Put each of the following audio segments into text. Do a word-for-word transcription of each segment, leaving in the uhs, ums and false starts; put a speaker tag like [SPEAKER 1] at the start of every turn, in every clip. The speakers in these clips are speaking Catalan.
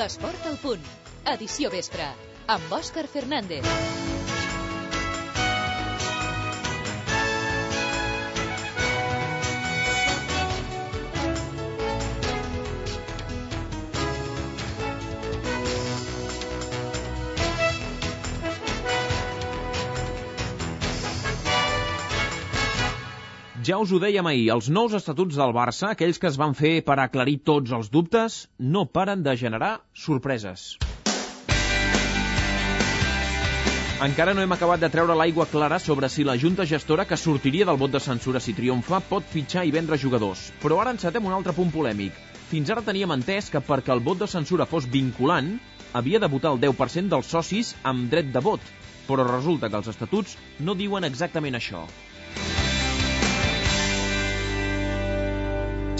[SPEAKER 1] L'esport al punt. Edició vespre. Amb Òscar Fernández.
[SPEAKER 2] Ja us ho dèiem ahir, els nous estatuts del Barça, aquells que es van fer per aclarir tots els dubtes, no paren de generar sorpreses. Encara no hem acabat de treure l'aigua clara sobre si la junta gestora, que sortiria del vot de censura si triomfa, pot fitxar i vendre jugadors. Però ara encetem un altre punt polèmic. Fins ara teníem entès que perquè el vot de censura fos vinculant, havia de votar el deu per cent dels socis amb dret de vot. Però resulta que els estatuts no diuen exactament això.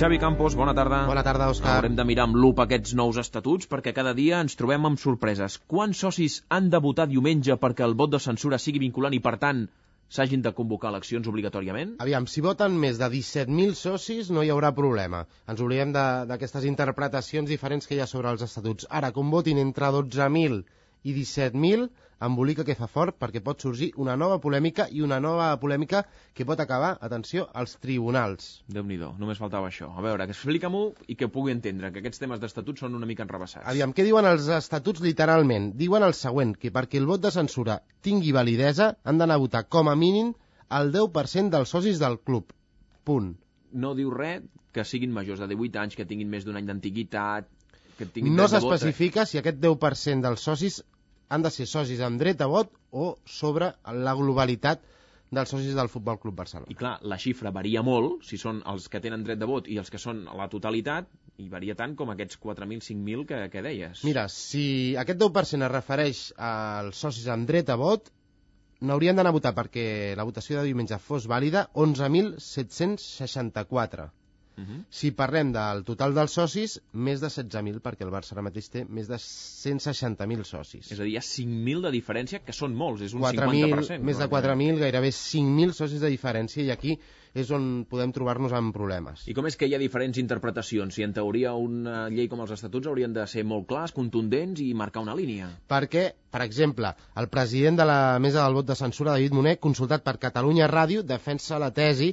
[SPEAKER 2] Xavi Campos, bona tarda.
[SPEAKER 3] Bona tarda, Òscar.
[SPEAKER 2] Haurem de mirar amb lupa aquests nous estatuts perquè cada dia ens trobem amb sorpreses. Quants socis han de votar diumenge perquè el vot de censura sigui vinculant i, per tant, s'hagin de convocar eleccions obligatòriament?
[SPEAKER 3] Aviam, si voten més de disset mil socis no hi haurà problema. Ens oblidem d'aquestes interpretacions diferents que hi ha sobre els estatuts. Ara, com votin entre dotze mil i disset mil, embolica que fa fort perquè pot sorgir una nova polèmica i una nova polèmica que pot acabar, atenció, als tribunals.
[SPEAKER 2] Déu-n'hi-do, només faltava això. A veure, explica-m'ho i que pugui entendre que aquests temes d'estatuts són una mica enrebaçats.
[SPEAKER 3] Aviam, què diuen els estatuts literalment? Diuen el següent, que perquè el vot de censura tingui validesa han d'anar a votar com a mínim el deu per cent dels socis del club. Punt.
[SPEAKER 2] No diu res que siguin majors de divuit anys, que tinguin més d'un any d'antiguitat, que tinguin
[SPEAKER 3] no
[SPEAKER 2] dret de vot. No
[SPEAKER 3] s'especifica si aquest deu per cent dels socis han de ser socis amb dret a vot o sobre la globalitat dels socis del Futbol Club Barcelona.
[SPEAKER 2] I clar, la xifra varia molt, si són els que tenen dret de vot i els que són a la totalitat, i varia tant com aquests quatre mil, cinc mil que, que deies.
[SPEAKER 3] Mira, si aquest deu per cent es refereix als socis amb dret a vot, n'haurien d'anar a votar perquè la votació de diumenge fos vàlida onze mil set-cents seixanta-quatre. Uh-huh. Si parlem del total dels socis, més de setze mil, perquè el Barça ara mateix té més de cent seixanta mil socis.
[SPEAKER 2] És a dir, hi ha cinc mil de diferència, que són molts, és un
[SPEAKER 3] quatre mil,
[SPEAKER 2] cinquanta per cent.
[SPEAKER 3] Més de quatre mil, gairebé cinc mil socis de diferència, i aquí és on podem trobar-nos amb problemes.
[SPEAKER 2] I com és que hi ha diferents interpretacions? Si en teoria una llei com els estatuts haurien de ser molt clars, contundents i marcar una línia.
[SPEAKER 3] Perquè, per exemple, el president de la mesa del vot de censura, David Moner, consultat per Catalunya Ràdio, defensa la tesi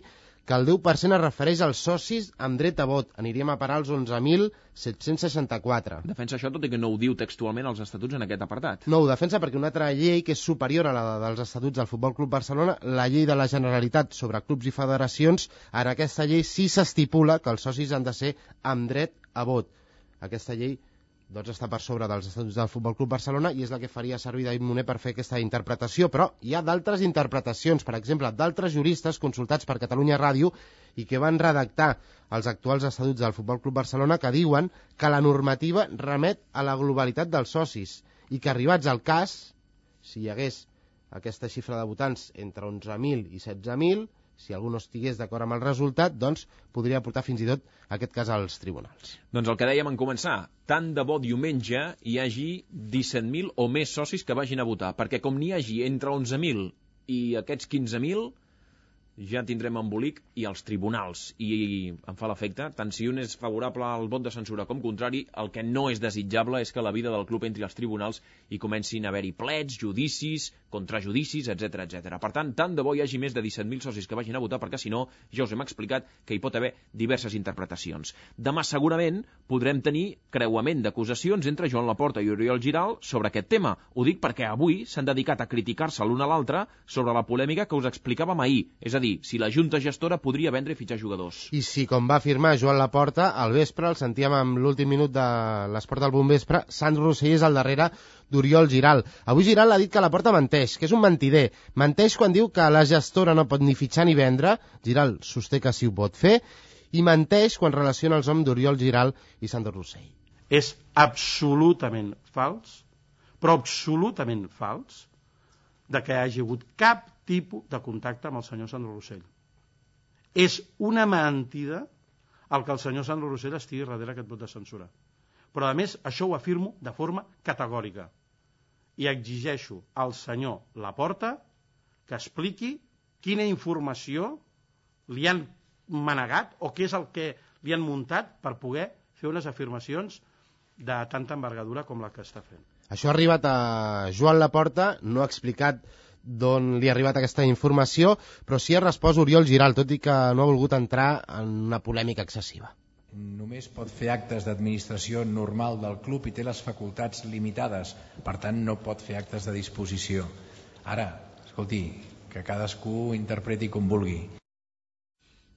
[SPEAKER 3] que el deu per cent es refereix als socis amb dret a vot. Aniríem a parar als onze mil set-cents seixanta-quatre.
[SPEAKER 2] Defensa això tot i que no ho diu textualment als estatuts en aquest apartat.
[SPEAKER 3] No ho defensa perquè una altra llei que és superior a la dels estatuts del Futbol Club Barcelona, la llei de la Generalitat sobre clubs i federacions, en aquesta llei sí s'estipula que els socis han de ser amb dret a vot. Aquesta llei doncs està per sobre dels estatuts del Futbol Club Barcelona i és la que faria servir David Moner per fer aquesta interpretació, però hi ha d'altres interpretacions, per exemple, d'altres juristes consultats per Catalunya Ràdio i que van redactar els actuals estatuts del Futbol Club Barcelona, que diuen que la normativa remet a la globalitat dels socis i que, arribats al cas, si hi hagués aquesta xifra de votants entre onze mil i setze mil, si algú no estigués d'acord amb el resultat, doncs podria portar fins i tot aquest cas als tribunals.
[SPEAKER 2] Doncs el que dèiem en començar, tant de bo diumenge hi hagi disset mil o més socis que vagin a votar, perquè com n'hi hagi entre onze mil i aquests quinze mil, ja tindrem embolic i els tribunals. I em fa l'efecte, tant si un és favorable al vot de censura com contrari, el que no és desitjable és que la vida del club entri als tribunals i comencin a haver-hi plets, judicis, contrajudicis, etcètera, etcètera. Per tant, tant de bo hi hagi més de disset mil socis que vagin a votar, perquè si no, ja us hem explicat que hi pot haver diverses interpretacions. Demà segurament podrem tenir creuament d'acusacions entre Joan Laporta i Oriol Giral sobre aquest tema. Ho dic perquè avui s'han dedicat a criticar-se l'un a l'altre sobre la polèmica que us explicàvem ahir, és a dir, si la junta gestora podria vendre i fitxar jugadors.
[SPEAKER 3] I si, com va afirmar Joan Laporta, al vespre, el sentíem amb l'últim minut de l'Esport del Bon Vespre, Sant Rossell és al darrere d'Oriol Giral. Avui Giral ha dit que Laporta menteix, que és un mentider. Menteix quan diu que la gestora no pot ni fitxar ni vendre, Giral sosté que sí ho pot fer, i menteix quan relaciona els noms d'Oriol Giral i Sant Rossell.
[SPEAKER 4] És absolutament fals, però absolutament fals, de que hi hagi hagut cap tipus de contacte amb el senyor Sandro Rossell. És una mentida el que el senyor Sandro Rossell estigui darrere aquest vot de censura. Però, a més, això ho afirmo de forma categòrica. I exigeixo al senyor Laporta que expliqui quina informació li han manegat o què és el que li han muntat per poder fer unes afirmacions de tanta envergadura com la que està fent.
[SPEAKER 3] Això ha arribat a Joan Laporta, no ha explicat d'on li ha arribat aquesta informació, però sí ha respost Oriol Giral, tot i que no ha volgut entrar en una polèmica excessiva.
[SPEAKER 5] Només pot fer actes d'administració normal del club i té les facultats limitades, per tant no pot fer actes de disposició. Ara, escolti, que cadascú interpreti com vulgui.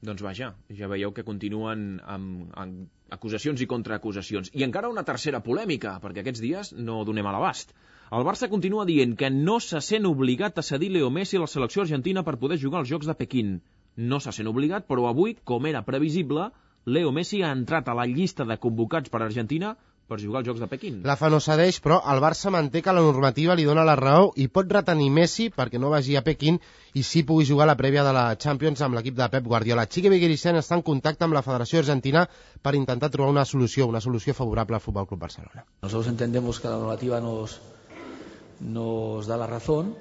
[SPEAKER 2] Doncs vaja, ja veieu que continuen amb, amb acusacions i contraacusacions. I encara una tercera polèmica, perquè aquests dies no donem a l'abast. El Barça continua dient que no se sent obligat a cedir Leo Messi a la selecció argentina per poder jugar als Jocs de Pequín. No se sent obligat, però avui, com era previsible, Leo Messi ha entrat a la llista de convocats per Argentina per jugar als Jocs de Pequín.
[SPEAKER 3] La F A no cedeix, però el Barça manté que la normativa li dona la raó i pot retenir Messi perquè no vagi a Pequín i sí pugui jugar la prèvia de la Champions amb l'equip de Pep Guardiola. Chiqui Beguiricén està en contacte amb la Federació Argentina per intentar trobar una solució, una solució favorable al Fútbol Club Barcelona.
[SPEAKER 6] Nosotros entendemos que la normativa nos, nos da la razón,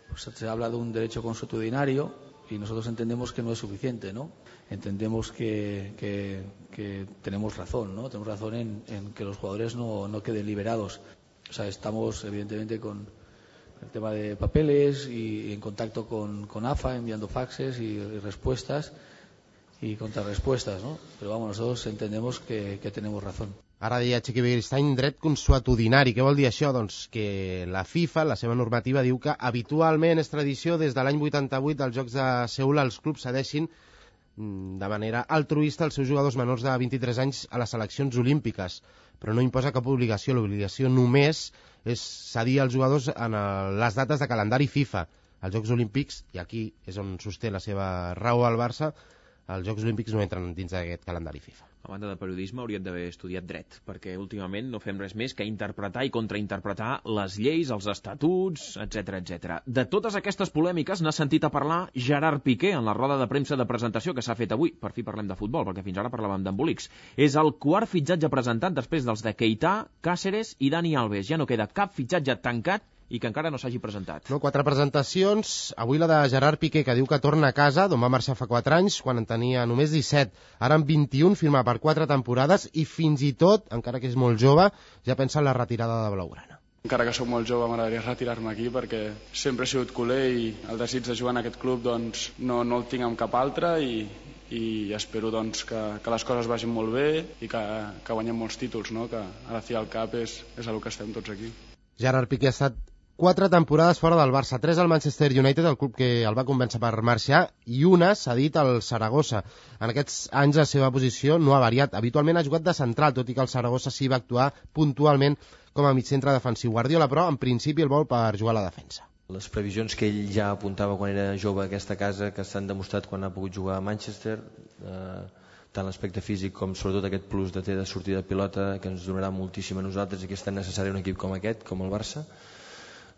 [SPEAKER 6] pues se habla de un derecho consuetudinario y nosotros entendemos que no es suficiente, ¿no? Entendemos que, que, que tenemos razón, ¿no? Tenemos razón en, en que los jugadores no, no queden liberados. O sea, estamos evidentemente con el tema de papeles y en contacto con, con A F A, enviando faxes y, y respuestas y contrarrespuestas, ¿no? Pero vamos, nosotros entendemos que, que tenemos razón.
[SPEAKER 3] Ara deia Chiqui Beguiricén, dret consuetudinari. Què vol dir això? Doncs que la FIFA, la seva normativa, diu que habitualment és tradició des de l'any vuitanta-vuit als Jocs de Seul els clubs cedeixin de manera altruista els seus jugadors menors de vint-i-tres anys a les seleccions olímpiques, però no imposa cap obligació. L'obligació només és cedir als jugadors en les dates de calendari FIFA. Els Jocs Olímpics, i aquí és on sosté la seva raó al Barça, els Jocs Olímpics no entren dins d'aquest calendari FIFA.
[SPEAKER 2] A banda de periodisme hauríem d'haver estudiat dret, perquè últimament no fem res més que interpretar i contrainterpretar les lleis, els estatuts, etcètera, etcètera. De totes aquestes polèmiques n'ha sentit a parlar Gerard Piqué en la roda de premsa de presentació que s'ha fet avui. Per fi parlem de futbol, perquè fins ara parlàvem d'embolics. És el quart fitxatge presentat després dels de Keita, Cáceres i Dani Alves. Ja no queda cap fitxatge tancat i que encara no s'hagi presentat.
[SPEAKER 3] No, quatre presentacions. Avui la de Gerard Piqué, que diu que torna a casa, d'on va marxar fa quatre anys, quan en tenia només disset. Ara en vint-i-un, firma per quatre temporades i fins i tot, encara que és molt jove, ja pensa en la retirada de Blaugrana.
[SPEAKER 7] Encara que sóc molt jove, m'agradaria retirar-me aquí perquè sempre he sigut culer i el desig de jugar en aquest club doncs, no, no el tinc amb cap altre i, i espero doncs, que, que les coses vagin molt bé i que, que guanyem molts títols, no? Que ara fi al cap és, és el que estem tots aquí.
[SPEAKER 3] Gerard Piqué ha estat quatre temporades fora del Barça, tres al Manchester United, el club que el va convèncer per marxar, i una s'ha dit al Saragossa. En aquests anys la seva posició no ha variat. Habitualment ha jugat de central, tot i que el Saragossa sí va actuar puntualment com a migcentre defensiu. Guardiola, però, en principi el vol per jugar a la defensa.
[SPEAKER 8] Les previsions que ell ja apuntava quan era jove a aquesta casa, que s'han demostrat quan ha pogut jugar a Manchester, eh, tant l'aspecte físic com sobretot aquest plus de té de sortida de pilota, que ens donarà moltíssim a nosaltres i que és tan necessari un equip com aquest, com el Barça,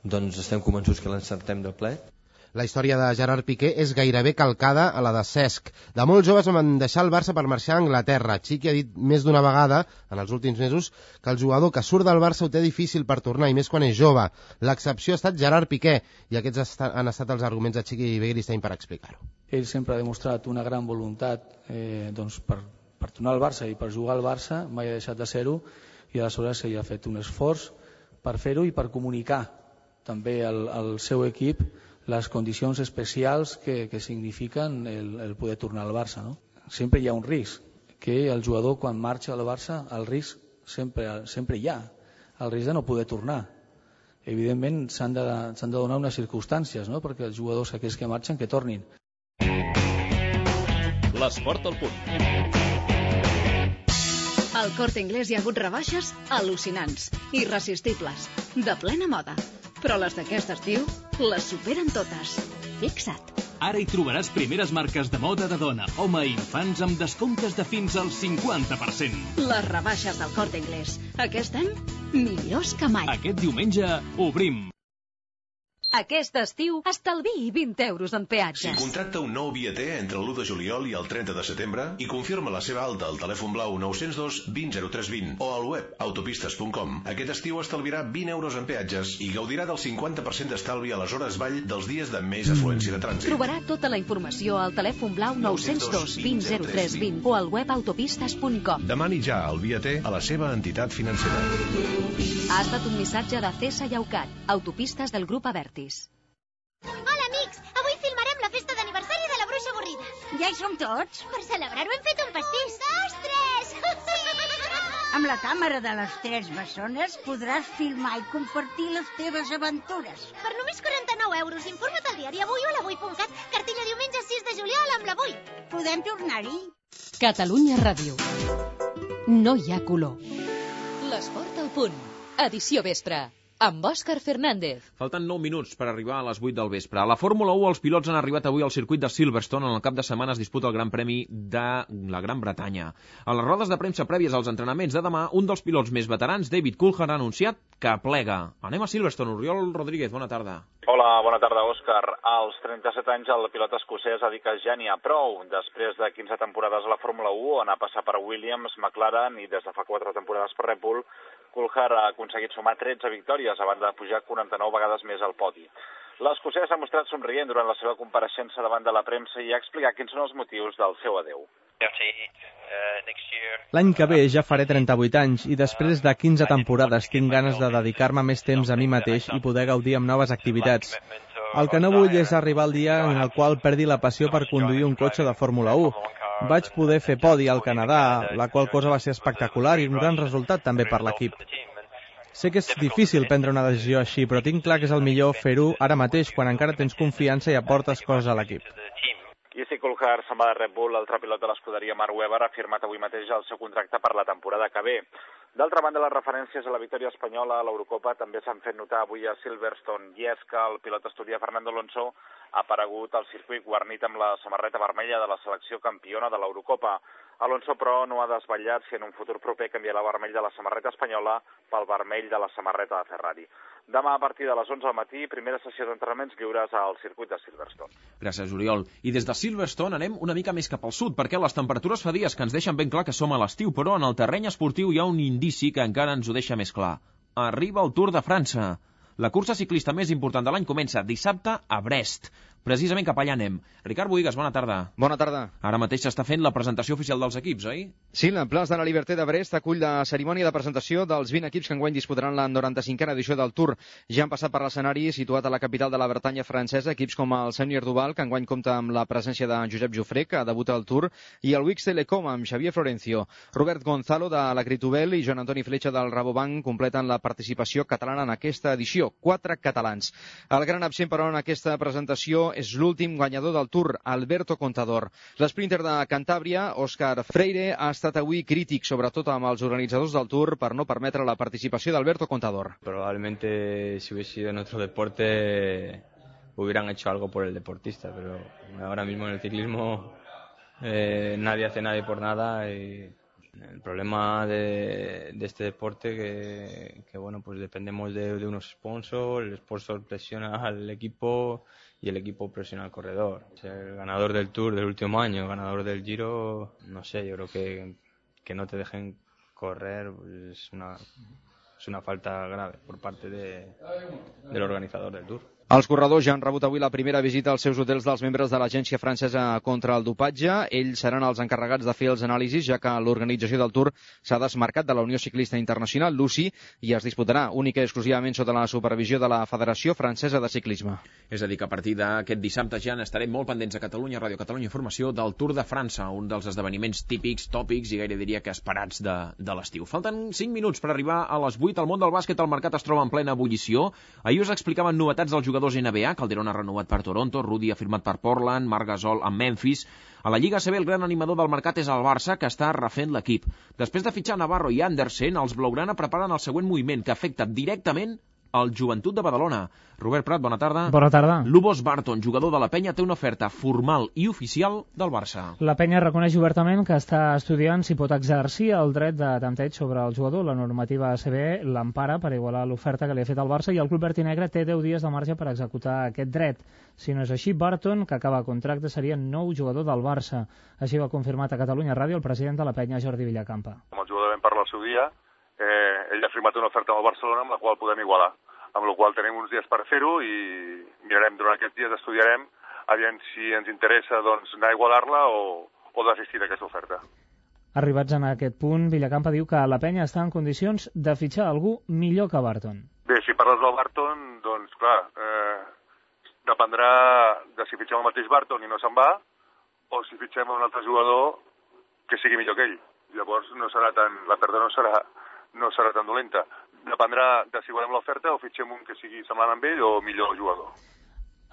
[SPEAKER 8] doncs estem convençuts que l'encertem de ple.
[SPEAKER 3] La història de Gerard Piqué és gairebé calcada a la de Cesc. De molt joves van deixar el Barça per marxar a Anglaterra. Chiqui ha dit més d'una vegada, en els últims mesos, que el jugador que surt del Barça ho té difícil per tornar, i més quan és jove. L'excepció ha estat Gerard Piqué, i aquests han estat els arguments de Chiqui Beguiricén per explicar-ho.
[SPEAKER 6] Ell sempre ha demostrat una gran voluntat eh, doncs per, per tornar al Barça i per jugar al Barça, mai ha deixat de ser-ho, i aleshores ell ha fet un esforç per fer-ho i per comunicar també al, al seu equip les condicions especials que, que signifiquen el, el poder tornar al Barça, no? Sempre hi ha un risc, que el jugador quan marxa al Barça, el risc sempre, sempre hi ha, el risc de no poder tornar. Evidentment s'han de, s'han de donar unes circumstàncies, no? Perquè els jugadors aquells que marxen que tornin.
[SPEAKER 1] L'esport al punt. Al Corte Inglés hi ha hagut rebaixes al·lucinants, irresistibles, de plena moda. Però les d'aquest estiu les superen totes. Fixa't.
[SPEAKER 9] Ara hi trobaràs primeres marques de moda de dona, home i infants amb descomptes de fins al cinquanta per cent.
[SPEAKER 1] Les rebaixes del Corte Inglés. Aquest any, millors que mai.
[SPEAKER 9] Aquest diumenge obrim.
[SPEAKER 1] Aquest estiu, estalviï vint euros en
[SPEAKER 10] Si
[SPEAKER 1] peatges.
[SPEAKER 10] contracta un nou viater entre l'u de juliol i el trenta de setembre i confirma la seva alta al telèfon blau nou zero dos vint zero tres vint o al web autopistes punt com, aquest estiu estalviarà vint euros en peatges i gaudirà del cinquanta per cent d'estalvi a les hores vall dels dies de més afluència de trànsit.
[SPEAKER 1] Trobarà tota la informació al telèfon blau nou zero dos vint zero tres vint o al web autopistes punt com.
[SPEAKER 10] Demani ja el viater a la seva entitat financera.
[SPEAKER 1] Ha estat un missatge de C E S A i Aucat, autopistes del grup Avertis.
[SPEAKER 11] Hola, amics! Avui filmarem la festa d'aniversari de la bruixa avorrida. Ja hi som tots? Per celebrar-ho hem fet un pastís. Un, dos, tres!
[SPEAKER 12] Amb la càmera de les tres bessones podràs filmar i compartir les teves aventures.
[SPEAKER 11] Per només quaranta-nou euros, informa't al diari Avui o a l'avui punt cat. Cartella diumenge sis de juliol amb l'Avui.
[SPEAKER 12] Podem tornar-hi?
[SPEAKER 1] Catalunya Ràdio. No hi ha color. L'esport al punt. Edició vespre. Amb Òscar Fernández.
[SPEAKER 2] Falten nou minuts per arribar a les vuit del vespre. A la Fórmula u, els pilots han arribat avui al circuit de Silverstone. En el cap de setmana es disputa el Gran Premi de la Gran Bretanya. A les rodes de premsa prèvies als entrenaments de demà, un dels pilots més veterans, David Coulthard, ha anunciat que plega. Anem a Silverstone. Oriol Rodríguez, bona tarda.
[SPEAKER 13] Hola, bona tarda, Òscar. Als trenta-set anys el pilot escocès ha dit que ja n'hi ha prou. Després de quinze temporades a la Fórmula u, on ha passat per Williams, McLaren i des de fa quatre temporades per Red Bull, Coulthard ha aconseguit sumar tretze victòries a banda de pujar quaranta-nou vegades més al podi. L'escocès s'ha mostrat somrient durant la seva compareixença davant de la premsa i ha explicat quins són els motius del seu adeu.
[SPEAKER 14] L'any que ve ja faré trenta-vuit anys i després de quinze temporades tinc ganes de dedicar-me més temps a mi mateix i poder gaudir amb noves activitats. El que no vull és arribar al dia en el qual perdi la passió per conduir un cotxe de Fórmula u. Vaig poder fer podi al Canadà, la qual cosa va ser espectacular i un gran resultat també per l'equip. Sé que és difícil prendre una decisió així, però tinc clar que és el millor fer-ho ara mateix, quan encara tens confiança i aportes coses a l'equip.
[SPEAKER 13] I si Coulthard se'n va de Red Bull, l'altre pilot de l'escuderia Mark Webber ha firmat avui mateix el seu contracte per la temporada que ve. D'altra banda, les referències a la victòria espanyola a l'Eurocopa també s'han fet notar avui a Silverstone, i és que el pilot asturià Fernando Alonso ha aparegut al circuit guarnit amb la samarreta vermella de la selecció campiona de l'Eurocopa. Alonso, però, no ha desvetllat si en un futur proper canviarà el vermell de la samarreta espanyola pel vermell de la samarreta de Ferrari. Demà, a partir de les onze del matí, primera sessió d'entrenaments lliures al circuit de Silverstone.
[SPEAKER 2] Gràcies, Oriol. I des de Silverstone anem una mica més cap al sud, perquè les temperatures fa dies que ens deixen ben clar que som a l'estiu, però en el terreny esportiu hi ha un indici que encara ens ho deixa més clar. Arriba el Tour de França. La cursa ciclista més important de l'any comença dissabte a Brest. Precisament cap allà anem. Ricard Bohigas, bona tarda.
[SPEAKER 15] Bona tarda.
[SPEAKER 2] Ara mateix s'està fent la presentació oficial dels equips, oi?
[SPEAKER 15] Sí, la plaça de la Liberté de Brest acull la cerimònia de presentació dels vint equips que enguany disputaran la noranta-cinquena edició del Tour. Ja han passat per l'escenari situat a la capital de la Bretanya francesa, equips com el Senior Duval, que enguany compta amb la presència de Josep Jofré, que debuta al Tour, i el Wix Telecom amb Xavier Florencio. Robert Gonzalo de la Critubel i Joan Antoni Fletxa del Rabobank completen la participació catalana en aquesta edició. Quatre catalans. El gran absent, però, en aquesta presentació és l'últim guanyador del Tour, Alberto Contador. L'esprinter de Cantàbria, Òscar Freire, ha estat avui crític, sobretot amb els organitzadors del Tour, per no permetre la participació d'Alberto Contador.
[SPEAKER 16] Probablemente si hubiese sido en otro deporte hubieran hecho algo por el deportista, pero ahora mismo en el ciclismo eh, nadie hace nadie por nada y el problema de, de este deporte que, que bueno, pues dependemos de, de unos sponsors, el sponsor presiona al equipo y el equipo presiona al corredor. El ganador del Tour del último año, el ganador del Giro, no sé, yo creo que, que no te dejen correr pues es una, es una falta grave por parte de, del organizador del Tour.
[SPEAKER 15] Els corredors ja han rebut avui la primera visita als seus hotels dels membres de l'Agència Francesa contra el Dopatge. Ells seran els encarregats de fer els anàlisis, ja que l'organització del Tour s'ha desmarcat de la Unió Ciclista Internacional, l'U C I, i es disputarà única i exclusivament sota la supervisió de la Federació Francesa de Ciclisme.
[SPEAKER 2] És a dir, que a partir d'aquest dissabte ja n'estarem molt pendents a Catalunya Ràdio, Catalunya Informació, del Tour de França, un dels esdeveniments típics, tòpics i gaire diria que esperats de, de l'estiu. Falten cinc minuts per arribar a les vuit. El món del bàsquet, el mercat es troba en plena ebullició. Ahir us explicaven novetats dels jugadors N B A. Calderón ha renovat per Toronto, Rudy ha firmat per Portland, Marc Gasol amb Memphis. A la Lliga A C B el gran animador del mercat és el Barça, que està refent l'equip. Després de fitxar Navarro i Andersen, els blaugrana preparen el següent moviment, que afecta directament el Joventut de Badalona. Robert Prat, bona tarda.
[SPEAKER 17] Bona tarda.
[SPEAKER 2] Lubos Barton, jugador de la Penya, té una oferta formal i oficial del Barça.
[SPEAKER 17] La Penya reconeix obertament que està estudiant si pot exercir el dret de tanteig sobre el jugador. La normativa A C B l'empara per igualar l'oferta que li ha fet el Barça i el club verd i negre té deu dies de marge per executar aquest dret. Si no és així, Barton, que acaba contracte, seria nou jugador del Barça. Així ho ha confirmat a Catalunya Ràdio el president de la Penya, Jordi Villacampa.
[SPEAKER 18] Com el jugador vam parlar al seu dia, eh, ell ha firmat una oferta amb el Barcelona amb la qual podem igualar. Amb la qual tenim uns dies per fer-ho i mirarem, durant aquests dies estudiarem aviam si ens interessa doncs, anar a igualar-la o, o desistir d'aquesta oferta.
[SPEAKER 17] Arribats en aquest punt, Villacampa diu que la Penya està en condicions de fitxar algú millor que Barton.
[SPEAKER 18] Bé, si parles del Barton, doncs clar, eh, dependrà de si fitxem el mateix Barton i no se'n va o si fitxem un altre jugador que sigui millor que ell. Llavors no serà tan, la pèrdua no serà, no serà tan dolenta. Dependrà de si volem l'oferta o fitxem un que sigui semblant amb ell o millor jugador.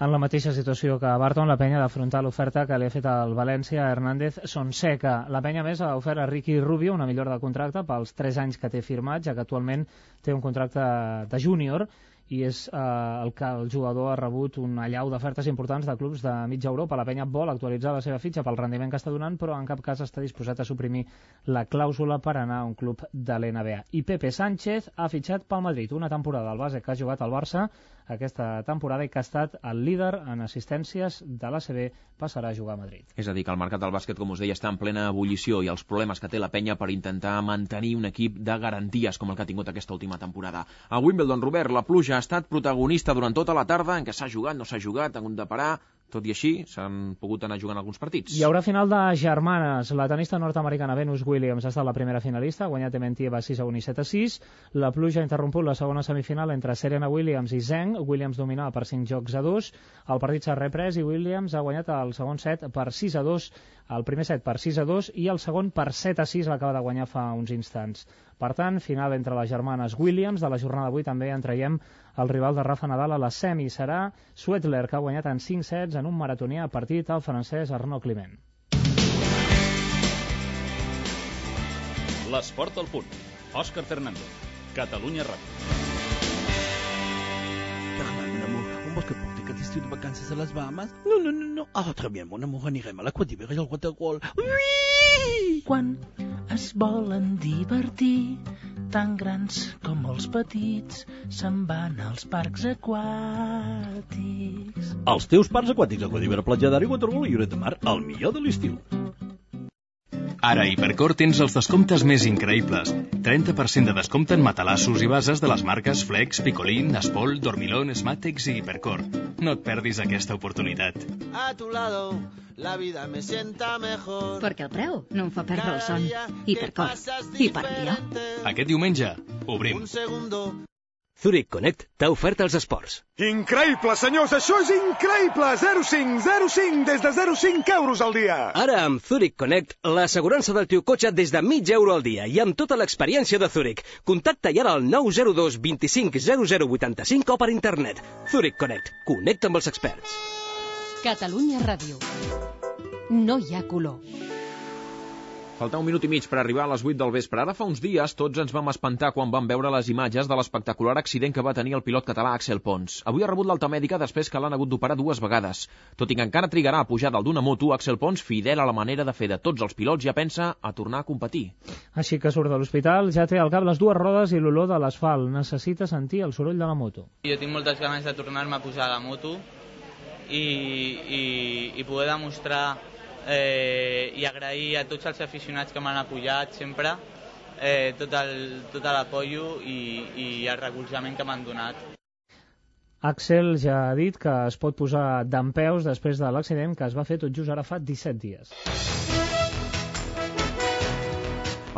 [SPEAKER 17] En la mateixa situació que Barton, la Penya ha d'afrontar l'oferta que li ha fet al València a Hernández Sonseca. La Penya, més, ha ofert a Ricky Rubio una millora de contracte pels tres anys que té firmat, ja que actualment té un contracte de júnior i és eh, el que el jugador ha rebut una allau d'ofertes importants de clubs de mitja Europa. La Penya vol actualitzar la seva fitxa pel rendiment que està donant, però en cap cas està disposat a suprimir la clàusula per anar a un club de l'N B A. I Pepe Sánchez ha fitxat pel Madrid, una temporada al base que ha jugat al Barça aquesta temporada i que ha estat el líder en assistències de l'A C B, passarà a jugar a Madrid.
[SPEAKER 2] És a dir, que el mercat del bàsquet, com us deia, està en plena ebullició i els problemes que té la Penya per intentar mantenir un equip de garanties com el que ha tingut aquesta última temporada. A Wimbledon, Robert, la pluja ha estat protagonista durant tota la tarda, en què s'ha jugat, no s'ha jugat, ha hagut de parar. Tot i així, s'han pogut anar jugant alguns partits.
[SPEAKER 17] Hi haurà final de germanes. La tenista nord-americana Venus Williams ha estat la primera finalista, ha guanyat Dementieva sis a un i set a sis. La pluja ha interromput la segona semifinal entre Serena Williams i Zheng. Williams dominava per cinc jocs a dos. El partit s'ha reprès i Williams ha guanyat el segon set per sis a dos, el primer set per sis a dos i el segon per set a sis l'acaba de guanyar fa uns instants. Per tant, final entre les germanes Williams. De la jornada d'avui també en traiem el rival de Rafa Nadal a la semi. Serà Swettler, que ha guanyat en cinc sets en un maratonià partit al francès Arnaud Clement.
[SPEAKER 9] L'esport al punt. Òscar Fernández. Catalunya Ràdio.
[SPEAKER 19] Fernand, mon amour, on voit que porter quatre estiu de vacances a les Bahamas? No, no, no, no. Ah, très bien, mon amour, anirem a l'Aqua d'Hiver i al waterwall. Oui!
[SPEAKER 20] Quan es volen divertir, tan grans com els petits, se'n van als parcs aquàtics.
[SPEAKER 19] Els teus parcs aquàtics, Aqua d'Hiver, Platja d'Aro i Waterwall i Lloret de Mar, el millor de l'estiu.
[SPEAKER 21] Ara a Hipercor tens els descomptes més increïbles. trenta per cent de descompte en matalassos i bases de les marques Flex, Picolín, Espol, Dormilón, Smatex i Hipercor. No et perdis aquesta oportunitat.
[SPEAKER 22] A tu lado, la vida me sienta mejor.
[SPEAKER 1] Perquè el preu no em fa perdre el son. Hipercor. I per millor.
[SPEAKER 21] Aquest diumenge obrim.
[SPEAKER 22] Un segundo.
[SPEAKER 23] Zurich Connect t'ha ofert els esports.
[SPEAKER 24] Increïble, senyors, això és increïble! zero coma cinc, zero coma cinc, des de zero coma cinc euros al dia.
[SPEAKER 23] Ara amb Zurich Connect, l'assegurança del teu cotxe des de mig euro al dia i amb tota l'experiència de Zurich. Contacta ja al nou zero dos vint cinc zero zero vuitanta-cinc o per internet. Zurich Connect. Connecta amb els experts.
[SPEAKER 25] Catalunya Ràdio. No hi ha color.
[SPEAKER 2] Falta un minut i mig per arribar a les vuit del vespre. Ara fa uns dies tots ens vam espantar quan vam veure les imatges de l'espectacular accident que va tenir el pilot català Axel Pons. Avui ha rebut l'alta mèdica després que l'han hagut d'operar dues vegades. Tot i que encara trigarà a pujar dalt d'una moto, Axel Pons, fidel a la manera de fer de tots els pilots, ja pensa a tornar a competir.
[SPEAKER 17] Així que surt de l'hospital, ja té al cap les dues rodes i l'olor de l'asfalt. Necessita sentir el soroll de la moto.
[SPEAKER 26] Jo tinc moltes ganes de tornar-me a pujar a la moto i, i, i poder demostrar Eh, i agrair a tots els aficionats que m'han apoyat sempre eh, tot el, tot l'apoyo i, i el recolzament que m'han donat.
[SPEAKER 17] Axel ja ha dit que es pot posar dempeus després de l'accident que es va fer tot just ara fa disset dies.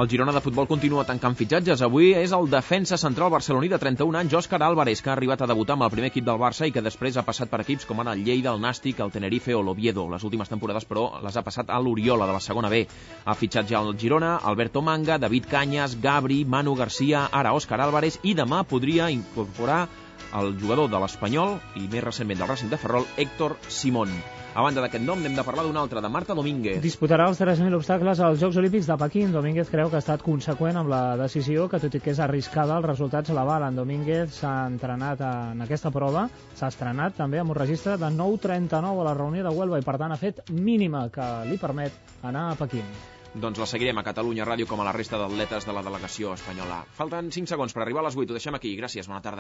[SPEAKER 2] El Girona de futbol continua tancant fitxatges. Avui és el defensa central barceloní de trenta-un anys, Òscar Álvarez, que ha arribat a debutar amb el primer equip del Barça i que després ha passat per equips com ara el Lleida, el Nàstic, el Tenerife o l'Oviedo. Les últimes temporades, però, les ha passat a l'Oriola, de la segona B. Ha fitxat ja el Girona, Alberto Manga, David Cañas, Gabri, Manu Garcia, ara Òscar Álvarez, i demà podria incorporar el jugador de l'Espanyol i més recentment del Racing de Ferrol, Héctor Simón. A banda d'aquest nom, n'hem de parlar d'un altre, de Marta Domínguez.
[SPEAKER 17] Disputarà els tres mil obstacles als Jocs Olímpics de Pequín. Domínguez creu que ha estat conseqüent amb la decisió, que tot i que és arriscada, els resultats l'avalen. Domínguez s'ha entrenat en aquesta prova, s'ha estrenat també amb un registre de nou trenta-nou a la reunió de Huelva i per tant ha fet mínima que li permet anar a Pequín.
[SPEAKER 2] Doncs la seguirem a Catalunya Ràdio com a la resta d'atletes de la delegació espanyola. Falten cinc segons per arribar a les vuit, ho deixem aquí. Gràcies, bona tarda.